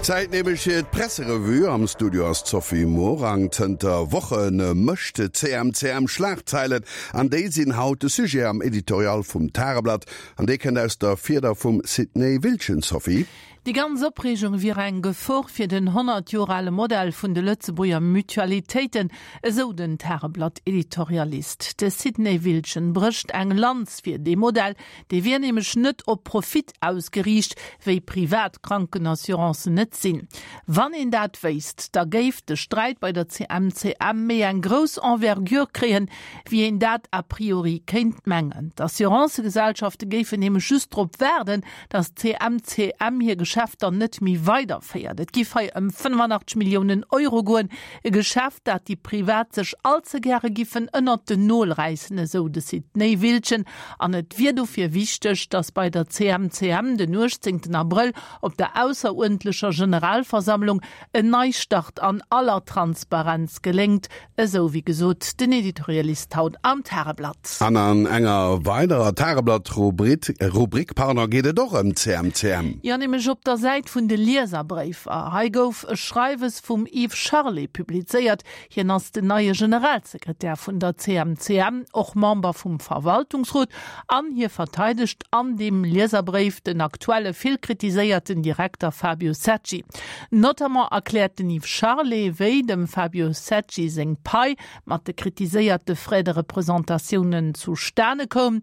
Zäit nämlech fir d'Presserevue. Am Studio ass d'Sophie Morang. Zënter Woche mécht d'CMCM Schlagzeilen an déi sinn haut de Sujet am Editorial vum Tageblatt. An dee kënnt aus der Fieder vum Sidney Wiltgen. Sophie. Déi ganz Opreegung wier eng Gefor fir den 100 Joer ale Modell vun de Lëtzebuerger Mutualitéiten, esou den Tageblatt-Editorialist. De Sidney Wiltgen brécht eng Lanz fir dee Modell, Dee wier nämlech net op Profit ausgeriicht, wéi privat Krankenassurancen et sinn. Wann een dat wéisst, da géif de Sträit bei der CMCM méi eng grouss Envergure kréien, wéi een dat a priori kéint mengen. D'Assurancëgesellschafte géifen nämlech just drop waarden, datt d'CMCM hir Geschäfter net méi weiderféiert. Et giff hei ëm 85 Milliounen Euro goen, e Geschäft, dat déi Privat sech all ze gäre giffen ënnert den Nol räissen, esou de Sidney Wiltgen. An et wier dofir wichteg, datt bei der CMCM den 18 Abrëll op der ausseruerdentlecher Generalversammlung en Neistart an aller Transparenz geléngt, esou wéi gesot den Editorialist haut am Tageblatt. An an enger weiderer Tageblatt-Rubrik geet et och ëm d'CMCM. Jo, nämlech op der Säit vun de Lieserbréifer. Hei gouf e Schreiwes vum Yves Charlet publizéiert. Hien ass den neie Generalsekretär vun der CMCM, och Member vum Verwaltungsrot, an hie verteidegt an deem Lieserbréif den aktuelle vill kritiséierten Direkter Fabio Secci. Notamment erkläert den Yves Charlet, wéi dem Fabio Secci seng Pai mat de kritiséierte Frais de représentatiounen zustane koum.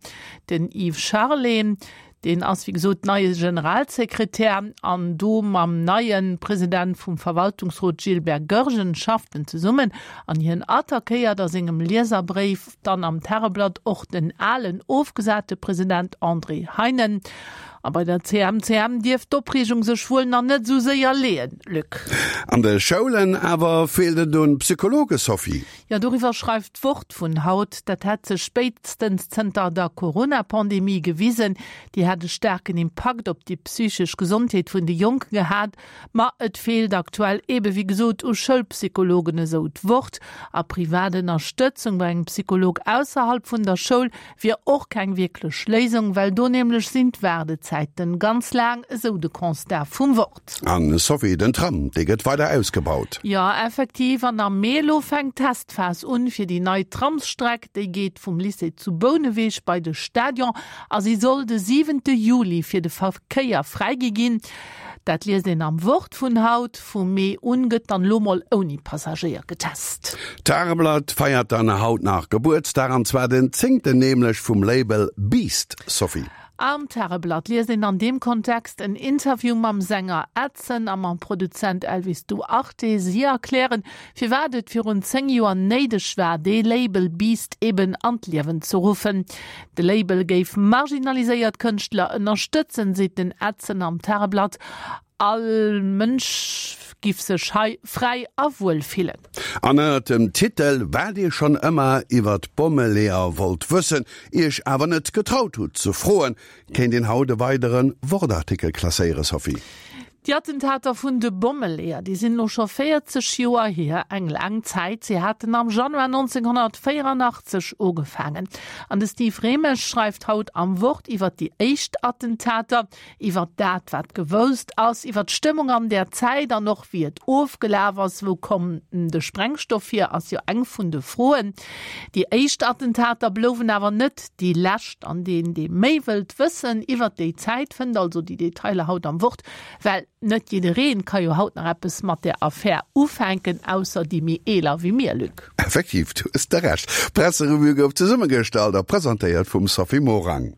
Den Yves Charlet, deen ass wéi gesot neie Generalsekretär an do mam neie President vum Verwaltungsrot Gilbert Goergen schafft en zesummen an hien attackéiert a sengem Lieserbréif dann am Tageblatt och den alen ofgesate President André Heinen. A bei der CMCM dierft d'Opreegung sech wuel nach net esou séier leeën, Luc. An de Schoulen awer feelt et un Psychologe, Sophie. Jo, doriwwer schreift d'Wort vun haut. Dat hätt sech spéitstens zënter der Corona-Pandemie gewisen. Déi hätt e staarken Impakt op déi psychesch Gesondheet vun de Jonke gehat. Ma et feelt aktuell ebe wéi gesot u Schoulpsychologen, esou d'Wort. A privat Ënnerstëtzung bei engem Psycholog ausserhalb vun der Schoul wier och keng wierklech Léisung, well do nämlech sinn d'Waardezäiten ganz laang, esou de Constat vum Wort. An Sophie, den Tram, dee gëtt weider ausgebaut. Jo, effektiv, an am Mee elo fänkt d'Testphas un fir déi nei Tramsstreck. Déi geet vum Lycée zu Bouneweg bei de Stadion a si soll de siwente Juli fir de Verkéier fräigi ginn. Dat liest een am Wort vun haut. Vum Mee un gëtt dann elo mol ouni Passagéier getest. D'Tageblatt feiert dann haut nach Gebuertsdag, an zwar den zéngten, nämlech vum Label Beast, Sophie. Am Tageblatt liest een an deem Kontext en Interview mam Sänger Edson a mam Produzent Elvis Duarte. Si erklären, firwat et virun 10 Joer néideg war, dee Label Beast eben an d'Liewen ze ruffen. De Label géif marginaliséiert Kënschtler ënnerstëtzen, seet den Edson am Tageblatt. All Mënsch giff sech hei fräi a wuel fillen. An ënnert dem Titel Wat Dir schonn ëmmer iwwer d'Bommeleeër wollt wëssen, Iech awer net getraut hutt ze froen, kéint een haut e weidere Wort-Artikel klasséieren, Sophie. Déi Attentater vun de Bommeleeër, déi sinn elo scho 40 Joer hier, eng laang Zäit. Si haten am Januar 1984 ugefaangen. An de Steve Remesch schreift haut am Wort iwwer déi éischt Attentater, iwwer dat, wat gewousst ass, iwwer d'Stëmmung an där Zäit an och wéi et ofgelaf ass. Wou koum de Sprengstoff hier, ass jo eng vun de Froen. Déi éischt Attentater blouwen awer net déi lescht. An deen, dee méi wëllt wëssen iwwert déi Zäit, fënnt also déi Detailer haut am Wort, well net jiddereen ka jo haut nach eppes mat där Affär ufänken, ausser déi méi eeler wéi mir, Luc. Effektiv, du hues de Recht. D'Presserevue gouf zesummegestallt a presentéiert vum Sophie Morang.